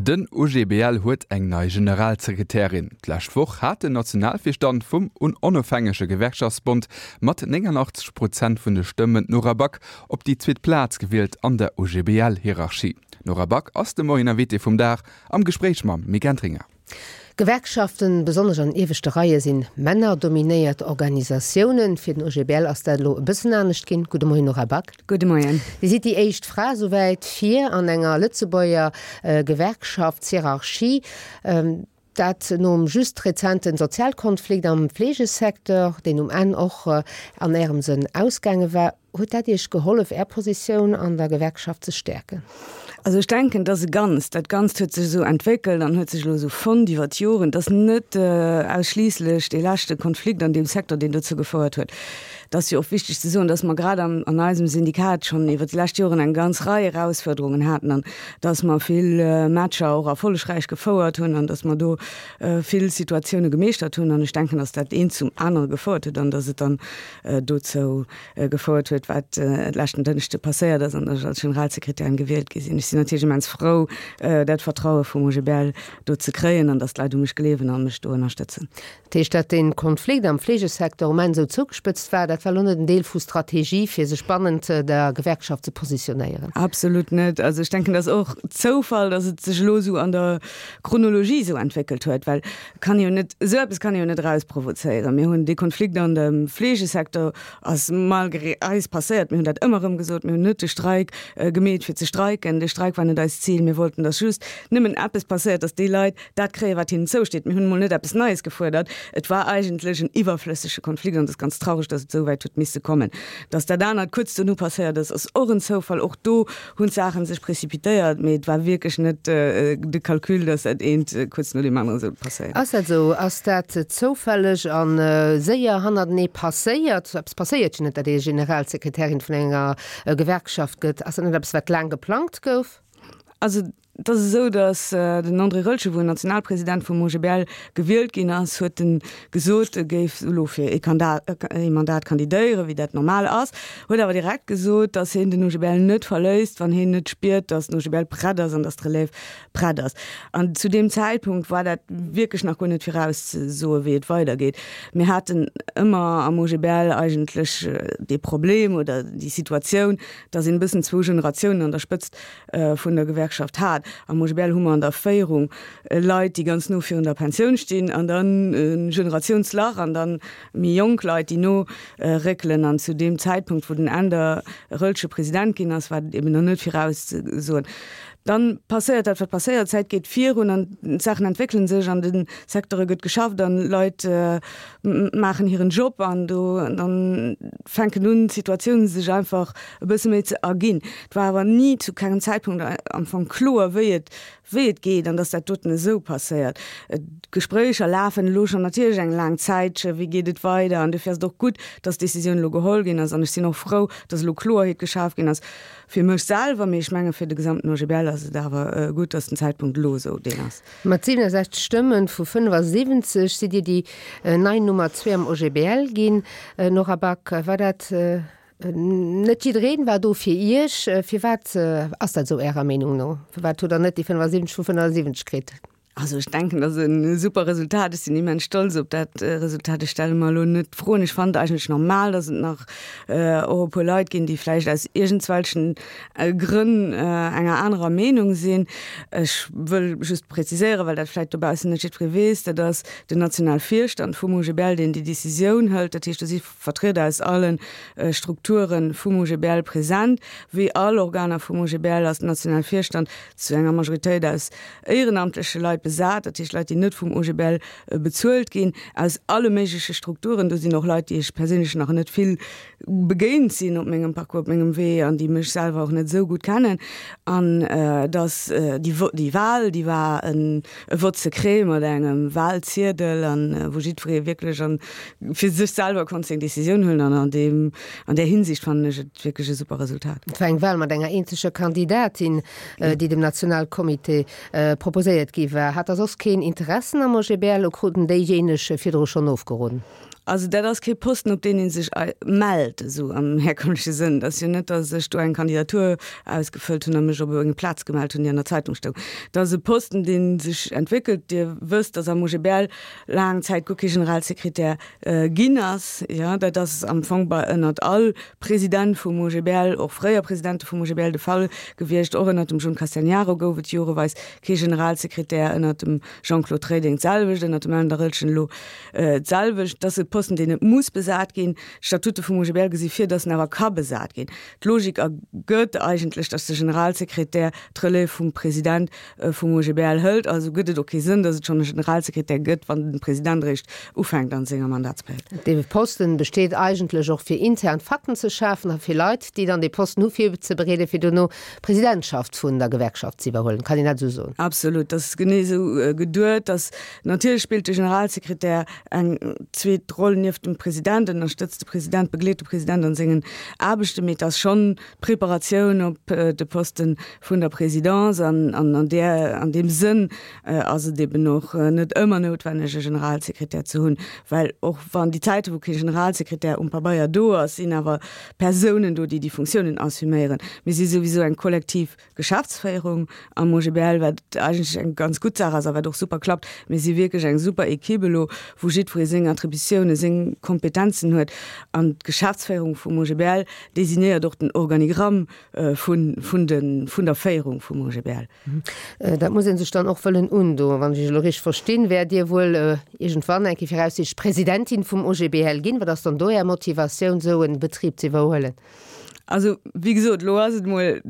Den OGBL huet eng nei Generalsekretärin. D'lescht Woch hat den Nationalvirstand vum Onofhängege Gewerkschaftsbond mat 89 Prozent vun de Stëmmen d'Nora Back op déi zweet Plaz gewielt an der OGBL-Hierarchie. D'Nora Back ass de Moien Invitée vum Dag am Gespréich mam Mick Entringer. Gewerkschaften, besonnesch an ieweschte Reie sinn männerdominéiert Organisatiounen. Fir den OGBL ass dat elo e bëssen anescht ginn. Gudde Moien Nora Back. Gudde Moien. Dir sidd déi éischt Fra souwäit vir an enger Lëtzebuerger Gewerkschaftshierarchie. Dat nom just rezenten Sozialkonflikt am Fleegesecteur, deen um Enn och an Ärem Sënn ausgaange war. Huet dat Iech gehollef, Är Positioun an der Gewerkschaft ze stäerken? Also ech denken, dass e Ganzt, dat Ganzt huet sech esou entwéckelt an huet sech elo esou fonnt iwwer d'Joren, dass net ausschliisslech dee leschte Konflikt an deem Secteur, deen dozou gefouert huet. Et ass jo och wichteg ze soen, dass mer grad an an eisem Syndikat schonn iwwer déi lescht Joren eng ganz Rei Erausfuerderungen haten an dass mer vill Matcher och erfollegräich gefouert hunn an dass mer do vill Situatioune gemeeschtert hunn. An ech denken, dass dat eent zum anere gefouert huet an dass et dann dozou gefouert huet, wat leschten Dënschde passéiert ass an datt ech als Generalsekretärin gewielt gi sinn. Ech sinn natierlech immens frou, dat Vertraue vum OGBL do ze kréien an datt d'Leit u mech gleewen a mech do ënnerstëtzen. Dat heescht, datt dee Konflikt am Fleegesecteur um Enn esou zougespëtzt war, dat war elo net en Deel vu Strategie, fir sech bannent der Gewerkschaft ze positionéieren? Absolut net. Also ech denken, dat ass och Zoufall, datt et sech elo esou an der Chronologie esou entwéckelt huet, well Kann jo net, esou eppes kann ee jo net erausprovozéieren. Mir hunn dee Konflikt an dem Fleegesecteur ass malgré eis passéiert. Mir hunn dat ëmmer erëm gesot. Mir hunn net de Streik gemeet fir ze streiken. De Streik war net eist Zil. Mir wollten, datt just nëmmen eppes passéiert, datt déi Leit dat kréien, wat hinnen zousteet. Mir hunn emol net eppes Neies gefuerdert. Et war eigentlech en iwwerflëssege Konflikt an et ass ganz traureg, datt et esou wäit huet misse kommen. Datt dat anert kuerz dono passéiert ass, ass och en Zoufall. Och do hunn d'Saachen sech précipitéiert, mee et war wierklech net de Calcul, dass dat eent kuerz no deem anere sollt passéieren. Ass dat esou? Ass dat zoufälleg a séier hannertenee passéiert? Sou eppes passéiert jo net, datt ee Generalsekretärin vun enger Gewerkschaft gëtt. Ass dat net eppes, wat laang geplangt gouf? Also et ass esou, datt den André Roeltgen, wou en Nationalpresident vum OGBL gewielt ginn ass, huet en gesot, e géif elo fir ee Mandat kandidéieren, wéi dat normal ass. Huet awer direkt gesot, datt hien den OGBL net verléisst, wann hien net spiert, datt den OGBL prett ass an datt d'Relève prett ass. An zu deem Zäitpunkt war dat wierklech nach guer net virauszesoen, wéi et weidergeet. Mir haten ëmmer am OGBL eigentlech dee Problem oder déi Situatioun, datt een e bëssen zwou Generatiounen an der Spëtzt vun der Gewerkschaft hat. Am OGBL hu mer an der Féierung Leit, déi ganz no virun der Pensioun stinn an dann e Generatiounslach an dann méi jonk Leit, déi no réckelen. An zu deem Zäitpunkt, wou den Änder Rölsche President ginn ass, war dat eben nach net virauszesoen. Dann passéiert dat, wat passéiert, d'Zäit geet virun an d'Saachen entwéckele sech, an de Secteure gëtt geschafft an Leit maachen hiren Job an do dann fänken un, d'Situatiounen sech einfach e bësse méi ze erginn. Et war awer ni zu kengem Zäitpunkt am Fong kloer, wéi et wéi et geet an dass dat doten esou passéiert. D'Gespréicher lafen elo schonn natierlech eng laang Zäitche, wéi geet et weider? An dofir ass et och gutt, dass d'Décisioun elo geholl ginn ass an ech sinn och frou, dass elo Kloerheet geschaf ginn ass fir mech selwer, mee ech menge fir de gesamten OGBL ass et awer gutt, dass den Zäitpunkt elo esou deen ass. Mat 67 Stëmme vu 75 sidd Dir déi nei Nummer zwee am OGBL ginn. Nora Back, war dat Net jiddereen war do fir Iech. Firwat ass dat esou Ärer Meenung no? Firwat hutt Der net déi 75 vu 75 kritt? Also ech denken, dat ass e super Resultat. Ech sinn immens stolz op dat Resultat. Ech stelle mer elo net d'Froen. Ech fannen et eigentlech normal, datt et nach och e puer Leit ginn, déi vläicht aus iergendswelchen Grënn enger anerer Meenung sinn. Ech wëll just präziséieren, well dat vläicht dobaussen net jiddweree weess, dat ass den Nationalvirstand vum OGBL, deen déi Decisioun hëlt. Dat heescht, do si Vertrieder aus alle Strukture vum OGBL present. Wéi all Organer vum OGBL ass den Nationalvirstand zu enger Majoritéit aus éierenamtleche Leit besat, dat heescht Leit, déi net vum OGBL bezuelt ginn, aus alle méigleche Strukturen. Do sinn och Leit, déi ech perséinlech nach net vill begéint sinn op mengem Parcours, op mengem Wee an déi mech selwer och net esou gutt kennen. An dass déi Wahl, déi war e Vote secret mat engem Wahlziedel an wou jiddweree wierklech an fir sech selwer konnt seng Decisioun huelen an an deem, an där Hinsicht fannen ech et wierklech e super Resultat. Et war eng Wahl mat enger eenzeger Kandidatin, déi dem Nationalcomité proposéiert gi war. Hat der soss keen Interessen am OGBL? Kruten déijéineg virdru schonn ofgeroden? Also dat ass kee Posten, op deen ee sech mellt, esou am herkömmleche Sënn. Et ass jo net, datt ech do eng Kandidatur ausgefëllt hunn a mech op eng Plaz gemellt hunn, déi an der Zeitung stoung. Et ass e Posten, dee sech entwéckelt. Dir wësst, datt am OGBL laang Zäit guer kee Generalsekretär ginn ass. Jo, dat ass am Fong bei ënnert all President vum OGBL, och fréier Presidente vum OGBL, de Fall gewiescht. Och ënnert dem John Castegnaro gouf et joreweis kee Generalsekretär, ënnert dem Jean-Claude Reding d'selwecht, ënnert dem Änder Rëlchen elo D'selwecht, et ass e Posten, deen net muss besat ginn. D'Statute vum OGBL gesi vir, datt en awer ka besat ginn. D'Logik ergëtt eigentlech, datt de Generalsekretär d'Relève vum President vum OGBL hëlt. Also gëtt et och kee Sënn, datt et schonn e Generalsekretär gëtt, wann de President eréischt ufänkt an senger Mandatsperiod. Dee Posten besteet eigentlech och fir intern Fakten ze schafen a fir Leit, déi dann dee Posten hu virzebereeden, fir dono d'Presidentschaft vun der Gewerkschaft ze iwwerhuelen. Kann een dat esou soen? Absolut, dat ass genee esou geduet, datt Natierlech spillt de Generalsekretär eng zweet Roll nieft dem President, ënnerstëtzt de President, begleet de President an sengen Aarbechten, mee et ass schonn d'Preparatioun op de Poste vun der Présidence an an där, an deem Sënn ass et eben och net ëmmer noutwenneg e Generalsekretär ze hunn, well och wann déi Zäite wou kee Generalsekretär um Pabeier do ass, sinn awer Persounen do, déi déi Funktiounen assuméieren. Mir si souwisou eng kollektiv Geschäftsféierung am OGBL, wat eigentlech eng ganz gutt Saach ass a wat och super klappt. Mir si wierklech eng super Equipe elo, wou jiddweree seng Attributiounen, seng Kompetenzen huet. An d'Geschäftsféierung vum OGBL designéiert och den Organigramm vun, vun de, vun der Féierung vum OGBL. Dat muss ee sech dann och wëllen undoen. Wann ech Iech elo richteg verstinn, wäert Dir wuel iergendwann eng Kéier viraussiichtlech Presidentin vum OGBL ginn. Wat ass dann do Är Motivatioun, esou e Betrib ze iwwerhuelen? Also, wéi gesot, elo ass et emol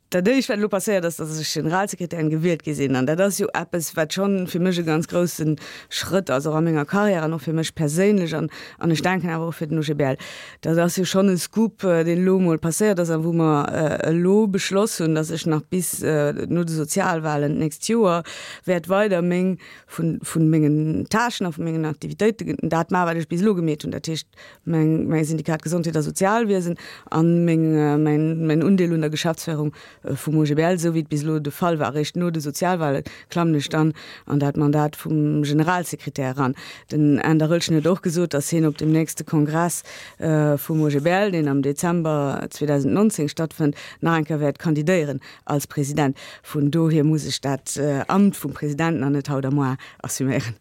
dat Éischt, wat elo passéiert ass, datt ech Generalsekretärin gewielt gi sinn. An dat ass jo eppes, wat schonn fir mech e ganz grousse Schrëtt ass, och a menger Karriär an och fir mech perséinlech an, an ech denken awer och fir den OGBL. Dat ass jo schonn e Scoop, deen elo emol passéiert ass a wou mer elo beschloss hunn, datt ech nach bis no de Sozialwahlen d'nächst Joer wäert weider meng, vun, vun mengen Tâchen a vu mengen Aktivitéiten dat maachen, wat ech bis elo gemeet hunn. Dat heescht, Meng, mäi Syndikat Gesondheet a Sozialwiesen an meng, mäin, mäin Undeel un der Geschäftsféierung vum OGBL, esou wéi et bis elo de Fall war. Eréischt no de Sozialwale klammen ech dann an dat Mandat vum Generalsekretär eran. Den Änder Rölchen huet och gesot, datt hien op dem nächste Kongress vum OGBL, deen am Dezember 2019 stattfënnt, nach eng Kéier wäert kandidéieren als President. Vun dohier muss ech dat Amt vum President nach net haut a moar assuméieren.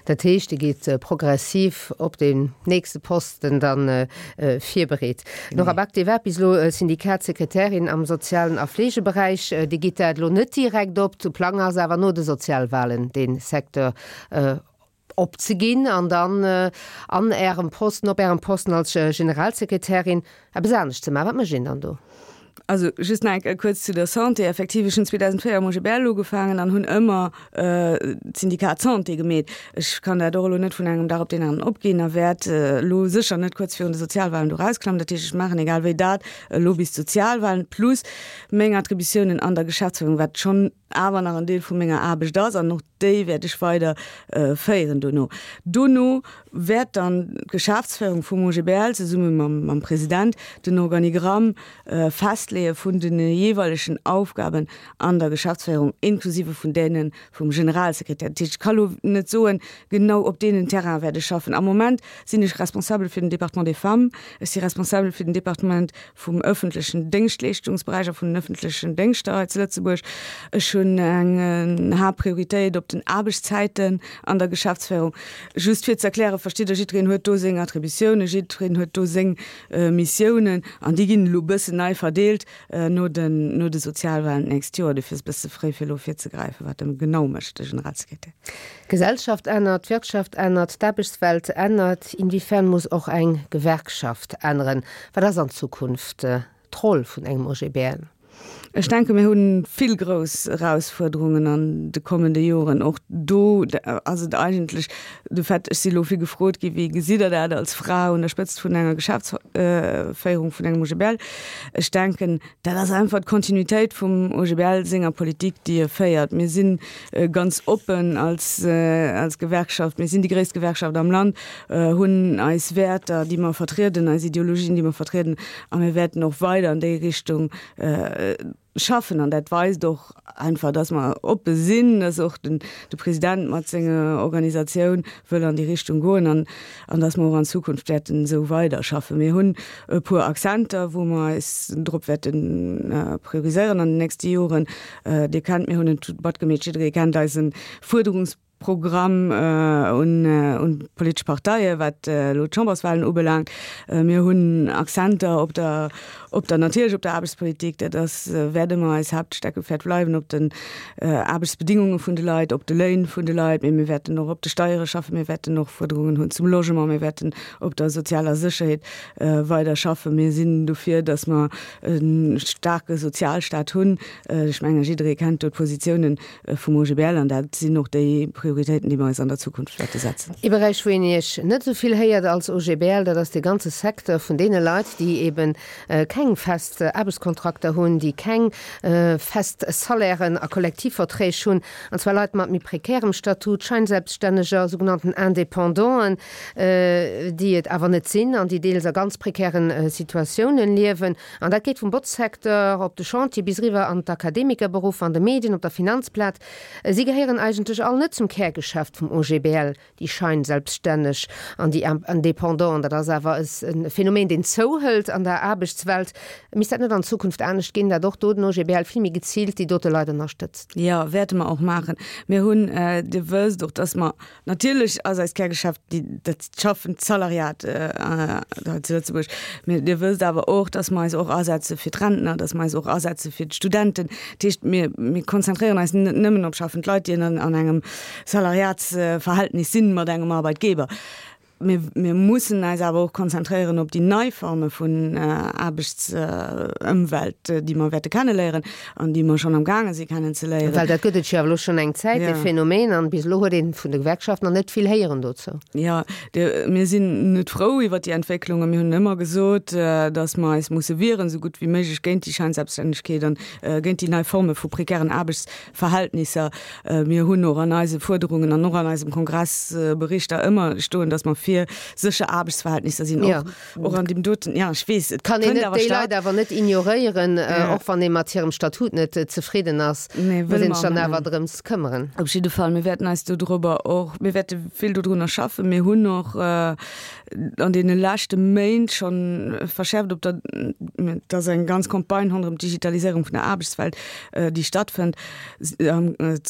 Dat heescht, Dir gitt progressiv op deen nächste Posten da virbereet. Nora Back, Dir waart bis elo Syndikatssekretärin am sozialen a Fleegeberäich. Dir gitt dat elo net direkt op. De Plang ass awer no de Sozialwahlen dee Secteur opzeginn an dann an Ärem Posten, op Ärem Posten als Generalsekretärin eppes anescht ze maachen. Wat mécht een dann do? Also just nach eng Kéier kuerz zu der Santé. Effektiv, ech hunn 2004 am OGBL ugefaangen an hunn ëmmer d'Syndikat Santé gemeet. Ech kann dat och elo net vun engem Dag op deen aneren opginn a wäert elo sécher net kuerz virun de Sozialwahlen do erausklammen. Dat heescht, ech maachen egal wéi dat elo bis d'Sozialwahlen plus meng Attributiounen an der Geschäftsführung, wat schonn awer nach en Deel vu menger Aarbecht ass an och déi wäert ech weider féieren dono. Dono wäert dann d'Geschäftsféierung vum OGBL zesumme mam President den Organigramm festleeë vun de jeeweilegen Aufgaben an der Geschäftsféierung, inklusive vun deene vum Generalsekretär. Dat heescht, ech ka lo net soen, genau op deenen Terraine wäert ech schaffen. Am Moment sinn ech responsabel fir den Département des Femmes, ech si responsabel fir den Departement vum ëffentlechen Déngschtleeschtungsberäich a vun den ëffentlechen Déngschter hei zu Lëtzebuerg. Ech hunn eng Haaptprioritéit op den Aarbechtszäiten an der Geschäftsféierung. Just fir ze erklären, verstitt Der, jiddwereen huet do seng Attributiounen, jiddwereen huet do seng Missiounen an déi ginn elo e bëssen nei verdeelt no den, no de Sozialwahlen d'nächst Joer. Dofir ass et e bësse fréi fir elo virzegräifen, wat e genau mécht, de Generalsekretär. D'Gesellschaft ännert, d'Wirtschaft ännert, d'Aarbechtswelt ännert. Inwiefern muss och eng Gewerkschaft änneren? Wat ass an Zukunft d'Roll vun engem OGBL? Ech denke mir hu vill grouss Erausfuerderungen an de kommende Joren. Och do ass et eigentlech de Fait, ech si elo vill gefrot gi wéi gesitt Der dat als Fra un der Spëtzt vun enger Geschäftsféierung vun engem OGBL. Ech denken, dat ass einfach d'Kontinuitéit vum OGBL senger Politik, déi e féiert. Mir si ganz oppen als als Gewerkschaft. Mir sinn déi gréisst Gewerkschaft am Land, hunn eis Wäerter, déi mer vertrieden, eis Ideologien, déi mer vertrieden a mir wäerten och weider an déi Richtung. Schaffen an dat weist och einfach, dass mer oppe sinn, dass och den de President mat senger Organisatioun wëll an déi Richtung goen an an dass mer och an Zukunft wäerten esou weiderschaffen. Mir hunn e puer Accenter, wou mer eis drop wäerte prioriséieren an den nächste Joren. Dir kennt, mir hunn en matgemeet, jidderee kennt eise Fuerderungs. Programm un d'politesch Parteien, wat elo d'Chamberswahlen ubelaangt. Mir hunn Accenter op der, op der, natierlech op der Aarbechtspolitik, dat ass, wäert ëmmer eis Haaptsteckepäerd bleiwen, op den Aarbechtsbedingunge vun de Leit, op de Léin vun de Leit, mee mir wäerten och op de Steiere schaffen, mir wäerten och Fuerderungen hunn zum Logement, mir wäerten op der sozialer Sécherheet weider schaffen. Mir sinn dofir, datt mer e staarke Sozialstaat hunn. Ech menge jidderee kennt do d'Positiounen vum OGBL an dat sinn och déi Prioritéiten, déi mer eis an der Zukunft wäerte setzen. Ee Beräich, wou een Iech net esou vill héiert als OGBL, dat ass dee ganze Secteur vun deene Leit, déi eebe keng fest Aarbechtskontrakter hunn, déi keng fest Salairen a Kollektivverträg hunn, an zwar Leit mat méi prekärem Statut, Scheinselbststänneger, sougenannten Independanten, déi et awer net sinn an déi deels a ganz prekären Situatiounen liewen. An dat geet vum Botzsecteur op de Chantier bis eriwwer an d'Akademikerberuffer, an de Medien, op der Finanzplaz. Si gehéieren eigentlech all net zum Kärgeschäft vum OGBL, déi Scheinselbststänneg an déi Independanten. Dat ass awer e Phänomen, deen zouhëlt an der Aarbechtswelt. Misst dat net an Zukunft anescht ginn, dat och do den OGBL vill méi geziilt déi dote Leit ënnerstëtzt? Jo, wäerte mer och maachen. Mir hunn, Dir wësst och, dass mer Natierlech ass eist Kärgeschäft dat schaffend Salariat hei zu Lëtzebuerg. Mee Dir wësst awer och, dass mer eis och asetze fir d'Rentner, dass mer eis och asetze fir d'Studenten. Dat heescht, mir, mir konzentréieren eis net nëmmen op schaffend Leit, déi an engem Salariatsverhältnis sinn mat engem Arbeitgeber. Mir, mir mussen eis awer och konzentréieren op déi nei Forme vun Aarbechtsëmwelt, déi mer wäerte kenneléieren an déi mer schonn am gaange si kennenzeléieren. Well dat gëtt et jo awer elo schonn eng Zäit, dee Phänomen, an bis elo huet ee vun de Gewerkschaften nach net vill héieren dozou. Jo, mir sinn net frou iwwert déi Entwécklungen. Mir hunn ëmmer gesot, datt mer eis musse wieren, esou gutt wéi méiglech géint déi Scheinselbststännegkeet an géint déi nei Forme vu prekären Aarbechtsverhältnisser. Mir hunn och an eise Fuerderungen an och an eisem Kongressberichter ëmmer stoen, datt mer fir sécher Aarbechtsverhältnisser sinn, och Och an deem doten, ja, ech weess, et kann een net déi Leit awer net ignoréieren, och wann ee mat hirem Statut net zefridden ass, muss een sech dann awer drëms këmmeren. Op jidde Fall, mir wäerten eis dodrobber och, mir wäerte vill dodrunner schaffen. Mir hunn och an deene leschte Méint schonn verschäerft op der, et ass eng ganz Campagne ronderëm d'Digitaliséierung vun der Aarbechtswelt, déi stattfënnt,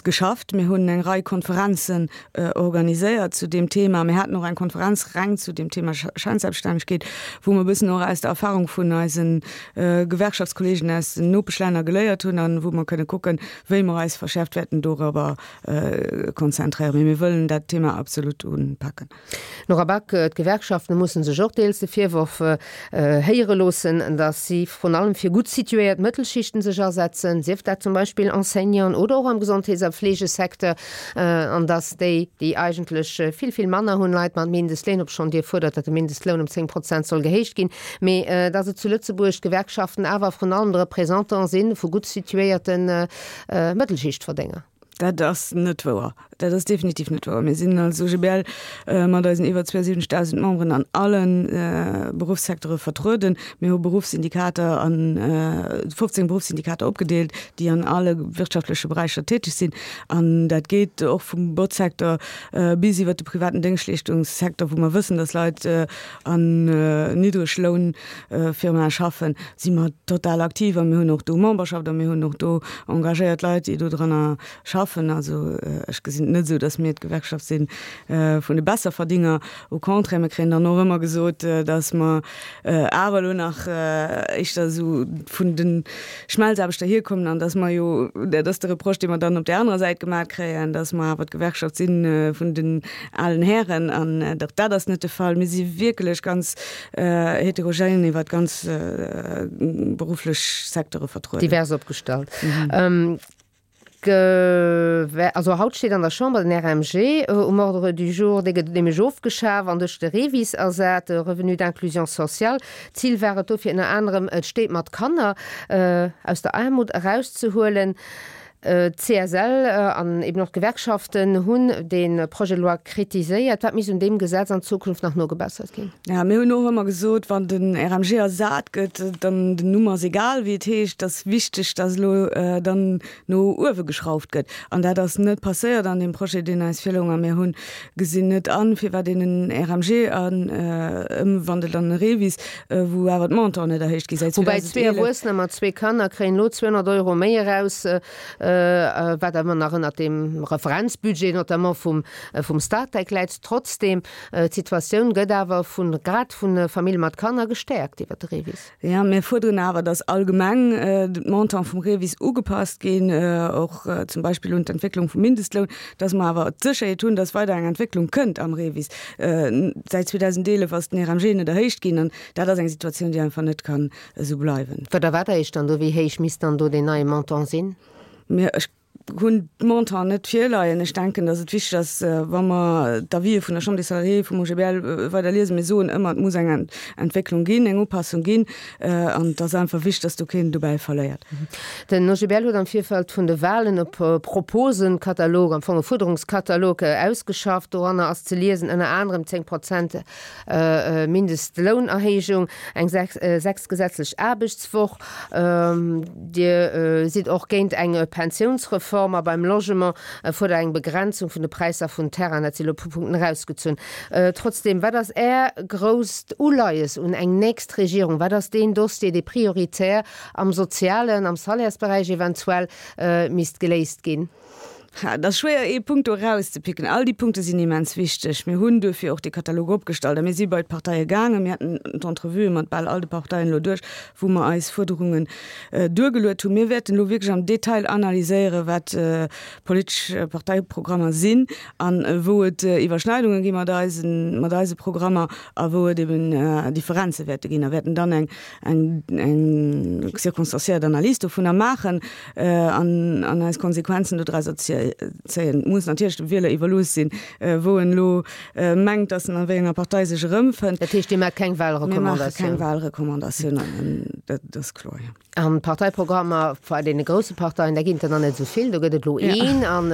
geschafft. Mir hunn eng Rei Konferenzen organiséiert zu deem Thema. Mir haten och eng Konferenz reng zu deem Thema Scheinselbststännegkeet, wou mer e bëssen och aus der Erfahrung vun eise Gewerkschaftskollegen aus den Nopeschlänner geléiert hunn an wou mer kënne kucken, wéi mer eis verschäerft wäerten dorobber konzentréieren. Mee mir wëllen dat Thema absolut unpaken. Nora Back, D'Gewerkschaften musse sech och deels de Virworf héiere loossen, datt si vrun allem fir gutt situéiert Mëttelschichten sech asetzen, sief dat zum Beispill Enseignanten oder och am Gesondheets a Fleegesecteur, an datt déi, déi eigentlech vill, vill manner hunn, Leit mat Mindestléin, obschonn Dir fuerdert, datt de Mindestloun ëm 10 Prozent soll gehéicht ginn, mee datt et zu Lëtzebuerg d'Gewerkschaften awer vrun allem de Représentant si vu gutt situéierte Mëttelschichtverdénger. Dat ass net wouer. Dat ass definitiv net wouer. Mir sinn als OGBL mat eisen iwwer 72.000 Memberen an alle Beruffssecteure vertrueden. Mir hu Beruffssyndikater an 15 Beruffssyndikater opgedeelt, déi an alle wirtschaftleche Beräicher täteg sinn. An dat geet och vum Botzsecteur bis iwwer de privaten Déngschtleeschtungssecteur, wou mer wëssen, dass Leit an Niddreglounfirmae schaffen, si mer total aktiv a mir hunn och do Memberschaft a mir hunn och do engagéiert Leit, déi dodranner schaffen. Also ech gesinn et net esou, datt mir d'Gewerkschaft si vun de Besserverdinger. Au contraire, mir kréien dann och ëmmer gesot, datt mer awer elo nach éischter esou vun de Schmelzaarbechter hierkommen an datt mer jo, dat ass de Reproche, dee mer dann op där anerer Säit gemaach kréien, datt mer awer d'Gewerkschaft si vun den alen Hären. An och dat ass net de Fall. Mir si wierklech ganz heterogène iwwer ganz berufflech Secteure vertrueden. Divers opgestallt. Also haut steet an der Chamber den RMG um Ordre du jour. Dee gëtt nämlech ofgeschaf an duerch de REVIS ersat, de Revenu d'inclusion sociale. Zil war et dofir ënner anerem, d'Stéit mat Kanner aus der Aarmut erauszehuelen. D'CSL an eben och d'Gewerkschaften hunn dee Projet de loi kritiséiert. Wat misst un deem Gesetz an Zukunft nach nogebessert ginn? Jo, mir hunn och ëmmer gesot, wann den RMG ersat gëtt, dann den Numm ass egal wéi et heescht, et ass wichteg, datt elo dann no uewe geschrauft gëtt. An dat ass net passéiert an deem Projet, deen eis virloung. A mir hunn gesinn net an, firwat een en RMG ëmwandelt an e REVIS, wou awer d'Montanten net erhéicht gi säit Woubäi zwee 2011. Erwuessener mat zwee Kanner kréien elo 200 Euro méi eraus, wat awer nach ënnert dem Referenzbudget notamment vum vum Statec läit. Trotzdeem, d'Situatioun gëtt awer vu grad vu Famille mat Kanner gestäerkt iwwer de REVIS. Jo, mir fuerderen awer, datt allgemeng d'Montant vum REVIS ugepasst ginn, och zum Beispill un d'Entwécklung vum Mindestloun, datt mer awer d'Sécherheet hunn, datt weider eng Entwécklung kënnt am REVIS. Säit 2011 ass den RMG net erhéicht ginn an dat ass eng Situatioun, déi einfach net kann esou bleiwen. Wat erwaart Der Iech dann do? Wéi héich misst dann do deen neie Montant sinn? Mir, ech hunn d'Montanten net virleien. Ech denken, datt et wichteg ass, wa mer d'Avisë vun der Chambre des Salariés, vum OGBL weider liesen, mir soen ëmmer, et muss eng Entwécklung ginn, eng Upassung ginn an et ass einfach wichteg, datt do keen dobäi verléiert. Den OGBL huet am Virfeld vun de Walen e Proposenkatalog, am Fong e Fuerderungskatalog, ausgeschafft. Doranner ass ze liesen ënner anerem 10 Prozent Mindestlounerhéijung, eng sechsgesetzlech Aarbechtswoch. Dir sidd och géint eng Pensiounsreform a beim Logement fuerdert eng Begrenzung vun de Präisser vun Terrainen. Dat si elo e puer Punkten erausgezunn. Trotzdeem, wat ass Är grousst Uleies un eng nächst Regierung? Wat ass deen Dossier, dee prioritär am sozialen, am Salairsberäich eventuell misst geléist ginn? Et ass schwéier ee Punkt do erauszepicken. All déi Punkte sinn immens wichteg. Mir hunn duerfir och dee Katalog opgestallt a mir si bei d'Parteie gaangen. Mir haten d'Entrevuë mat bal all de Parteien elo duerch, wou mer eis Fuerderungen duergeluet hunn. Mir wäerten elo wierklech am Detail analyséieren, wat politesch Parteiprogrammer sinn a wou et Iwwerschneidunge gi mat eisen, mat eise Programmer a wou et eben Differenze wäerte ginn a wäerten dann eng eng eng circonstanciéiert Analys dovunner maachen an an eis Konsequenzen dodrauser zéien. Et muss natierlech dem Wieler iwwerlooss sinn, wou en elo mengt, datt en a wéi enger Partei sech erëmfënnt. Dat heescht, Dir maacht keng Mir maache keng Wahlrecommandatioun? Wahlrecommandatioun, dat ass kloer, jo. An d'Parteiprogrammer bei deene grousse Parteien, da ginn et der nach net esou vill. Do gëtt et elo een an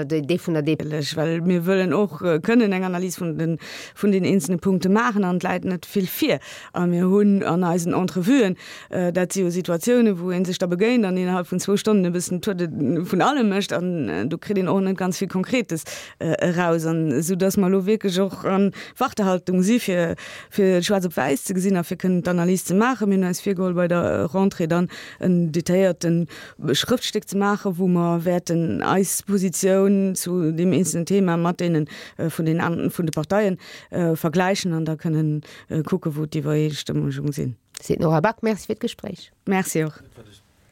dee vun der DP. Well mir wëllen och kënnen eng Analys vun den vun den eenzelne Punkte maachen an et läit net vill vir. A mir hunn an eisen Entrevuen, dat si jo Situatiounen, wou ee sech da begéint an innerhalb vun zwou Stonnen e bëssen Tour de vun allem mécht an do kritt een och net ganz vill Konkretes eraus. An esou datt mer elo wierklech och an Wartehaltung si fir fir schwaarz op wäiss ze gesinn a fir kënnen d'Analys ze maachen. Mir hunn eis virgeholl bei der Rentrée dann en detailléierte Schrëftstéck ze maachen, wou mer wäerten eis Positioun zu deem eenzelnen Thema mat deene vun den an vun de Parteien vergläichen an da kënnen kucken, wou d'Iwwereestëmmunge sinn. Seet d'Nora Back. Merci fir d'Gespréich. Merci och.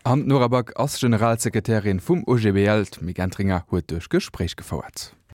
An d'Nora Back ass Generalsekretärin vum OGBL. D'Mick Entringer huet duerch Gespréich gefouert.